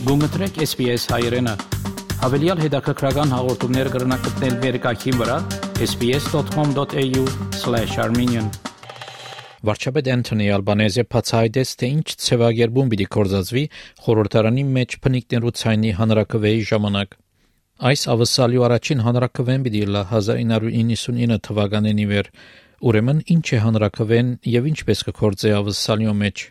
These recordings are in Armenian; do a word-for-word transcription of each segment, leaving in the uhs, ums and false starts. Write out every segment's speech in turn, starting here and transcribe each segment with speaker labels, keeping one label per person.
Speaker 1: Գումտրեք S B S հայերենը։ Հավելյալ հետաքրքրական հաղորդումներ կգրնակցնել վերկայքին վրա s b s dot com dot a u slash armenian Վարչապետ Անթոնի Ալբանեզը բացահայտեց, թե ինչ ցևագերբում պիտի կորզածվի խորհրդարանի մեջ փնիկներու ցայնի հանրակրվեի ժամանակ։ Այս ավսալյու առաջին հանրակրվեն պիտի լա հազար ինը հարյուր իննսունինը թվականին ի վեր, ուրեմն ինչ է հանրակրվեն եւ ինչպես կկործե ավսալյու մեջ։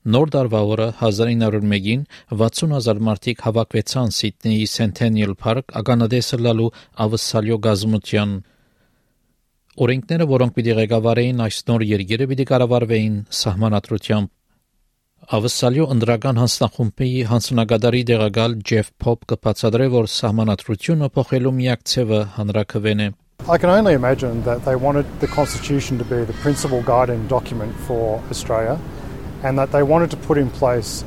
Speaker 1: Նոր դարվա օրը հազար ինը հարյուր մեկին վաթսուն հազար մարդիկ հավաքվեցան Սիդնեի Centennial Park ականադեսը լալու ավսալյու գազմության։ Օրենքները, որոնք պիտի ղեկավարեին այս նոր երկիրը, պիտի կառավարվեին սահմանադրությամբ։ Ավսալյու ընդրական հանձնախումբի հանձնագետարի դեղակալ Ջեֆ Փոփ կբացատրե, որ սահմանադրությունը փոխելու միակ ցևը հանրակրվեն է։
Speaker 2: I can only imagine that they wanted the Constitution to be the principal guiding document for Australia, and that they wanted to put in place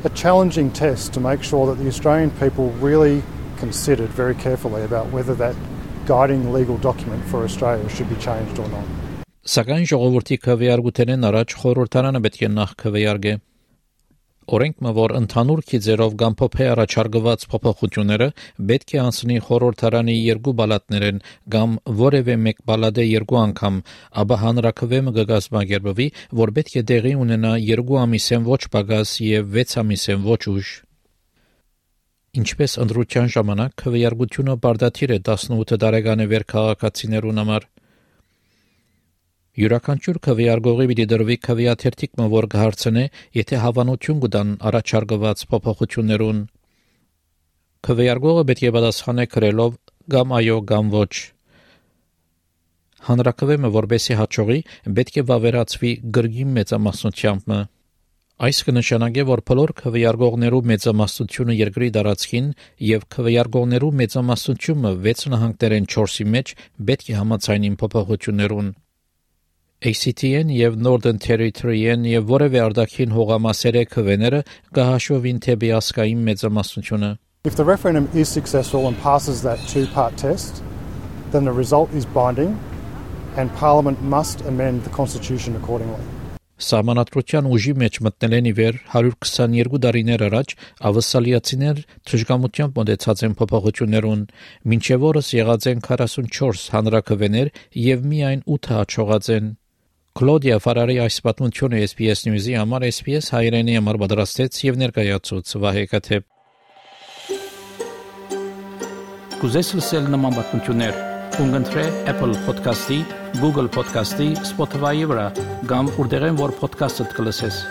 Speaker 2: a challenging test to make sure that the Australian people really considered very carefully about whether that guiding legal document for Australia should be changed or not.
Speaker 1: Սակայն ժողովրդի քվեարկութենեն առաջ խորհրդարանը պետք է նախ քվեարկե։ Օրենքը, որ ընդհանուր քիզերով կամ փոփե առաջարկված փոփոխությունները պետք է անցնի խորհրդարանի երկու բալատներեն կամ որևէ մեկ բալատը երկու անգամ, ապա հանրակրվեմը կգազմագերբվի, որ պետք է տեղի ունենա երկու ամիսեն ոչ պակաս եւ վեց ամիսեն ոչ ուշ։ Ինչպես ընդրության ժամանակ քվեարկությունը բարդաթիր է տասնութ տարեկան վեր քաղաքացիներուն համար։ Յուրաքանչյուր քվեարկողի պիտի դրվի քվեաթերթիկը, որ կհարցնե, եթե հավանություն կտան առաջարկված փոփոխություններուն։ Քվեարկողը պետք է պատասխանե գրելով կամ այո կամ ոչ։ Հանրակրվեմը, որբեսի հաջողի, պետք է վավերացվի գրգին մեծամասնությամբ։ Այս կնշանակե, որ բոլոր քվեարկողներու մեծամասնությունը երկրի տարածքին եւ քվեարկողներու մեծամասնությունը վեց նահանգներեն չորսի մեջ պետք է համաձայնին փոփոխություններուն։ A C T-ն եւ Northern Territory-ն եւ որևէ արտաքին հողամասերի քվեները կհաշվվին թեպի ասկային մեծամասնությունը։
Speaker 2: If the referendum is successful and passes that two-part test, then the result is binding and Parliament must amend the Constitution accordingly.
Speaker 1: Սահմանադրության ուժի մեջ մտնելեն ի վեր հարյուր քսաներկու տարիներ առաջ ավսալիացիներ թշգամությամբ մոտեցած են փոփոխություններուն, մինչև օրս եղած են քառասունչորս հանրակրվեներ եւ միայն ութը հաջողած են։ Կլոդիա Ֆարարի այս պատմությունը S B S News-ի համար S B S հայերենի համար պատրաստեց եւ ներկայացուց Վահե Կաթեփ։ Կուզես լսել նման պատմություններ, կընտրե Apple Podcast-ի, Google Podcast-ի, Spotify-ի վրա, կամ որտեղեն որ podcast-ը կլսես։